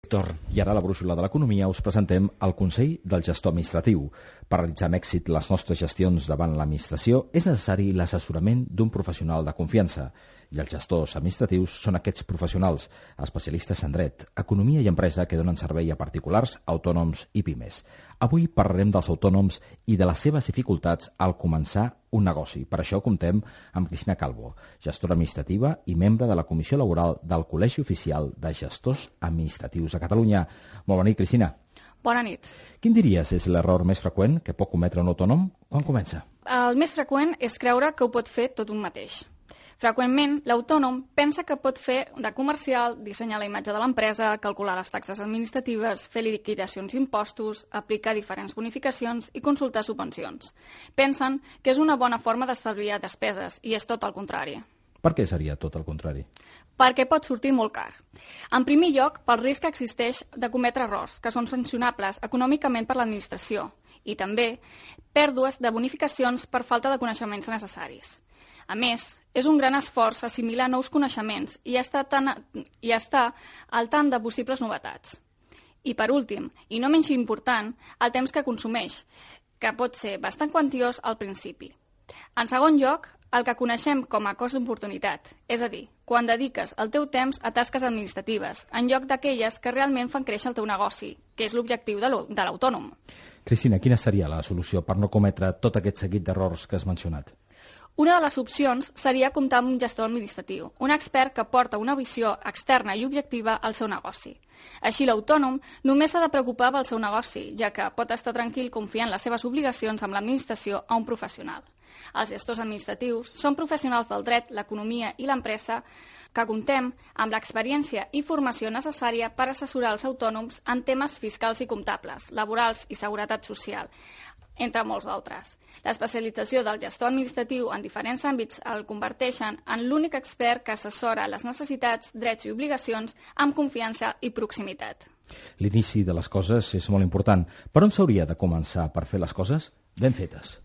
I ara a la brúixola de l'economia us presentem el Consell del Gestor Administratiu. Per realitzar amb èxit les nostres gestions davant l'administració és necessari l'assessorament d'un professional de confiança. I els gestors administratius són aquests professionals, especialistes en dret, economia i empresa que donen servei a particulars, autònoms i pimes. Avui parlarem dels autònoms i de les seves dificultats al començar un negoci. Per això comptem amb Cristina Calvo, gestora administrativa i membre de la Comissió Laboral del Col·legi Oficial de Gestors Administratius de Catalunya. Molt bona nit, Cristina. Bona nit. Quin diries és l'error més freqüent que pot cometre un autònom quan comença? El més freqüent és creure que ho pot fer tot un mateix. Freqüentment, l'autònom pensa que pot fer de comercial, dissenyar la imatge de l'empresa, calcular les taxes administratives, fer liquidacions d'impostos, aplicar diferents bonificacions i consultar subvencions. Pensen que és una bona forma d'estalviar despeses i és tot el contrari. Per què seria tot el contrari? Perquè pot sortir molt car. En primer lloc, pel risc que existeix de cometre errors, que són sancionables econòmicament per l'administració, i també pèrdues de bonificacions per falta de coneixements necessaris. A més, és un gran esforç assimilar nous coneixements i estar al tant de possibles novetats. I per últim, i no menys important, el temps que consumeix, que pot ser bastant quantiós al principi. En segon lloc, el que coneixem com a cost d'oportunitat, és a dir, quan dediques el teu temps a tasques administratives, en lloc d'aquelles que realment fan créixer el teu negoci, que és l'objectiu de l'autònom. Cristina, quina seria la solució per no cometre tot aquest seguit d'errors que has mencionat? Una de les opcions seria comptar amb un gestor administratiu, un expert que porta una visió externa i objectiva al seu negoci. Així, l'autònom només s'ha de preocupar pel seu negoci, ja que pot estar tranquil confiant les seves obligacions amb l'administració a un professional. Els gestors administratius són professionals del dret, l'economia i l'empresa que comptem amb l'experiència i formació necessària per assessorar els autònoms en temes fiscals i comptables, laborals i seguretat social, entre molts d'altres. L'especialització del gestor administratiu en diferents àmbits el converteixen en l'únic expert que assessora les necessitats, drets i obligacions amb confiança i proximitat. L'inici de les coses és molt important. Per on s'hauria de començar per fer les coses ben fetes?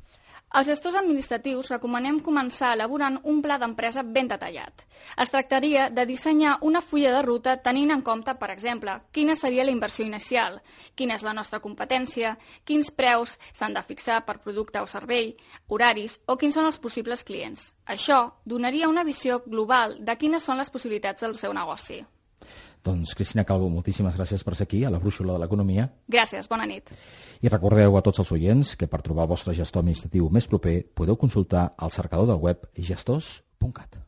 Els gestors administratius recomanem començar elaborant un pla d'empresa ben detallat. Es tractaria de dissenyar una fulla de ruta tenint en compte, per exemple, quina seria la inversió inicial, quina és la nostra competència, quins preus s'han de fixar per producte o servei, horaris o quins són els possibles clients. Això donaria una visió global de quines són les possibilitats del seu negoci. Doncs, Cristina Calvo, moltíssimes gràcies per ser aquí, a la brúixola de l'economia. Gràcies, bona nit. I recordeu a tots els oients que per trobar el vostre gestor administratiu més proper podeu consultar el cercador del web gestors.cat.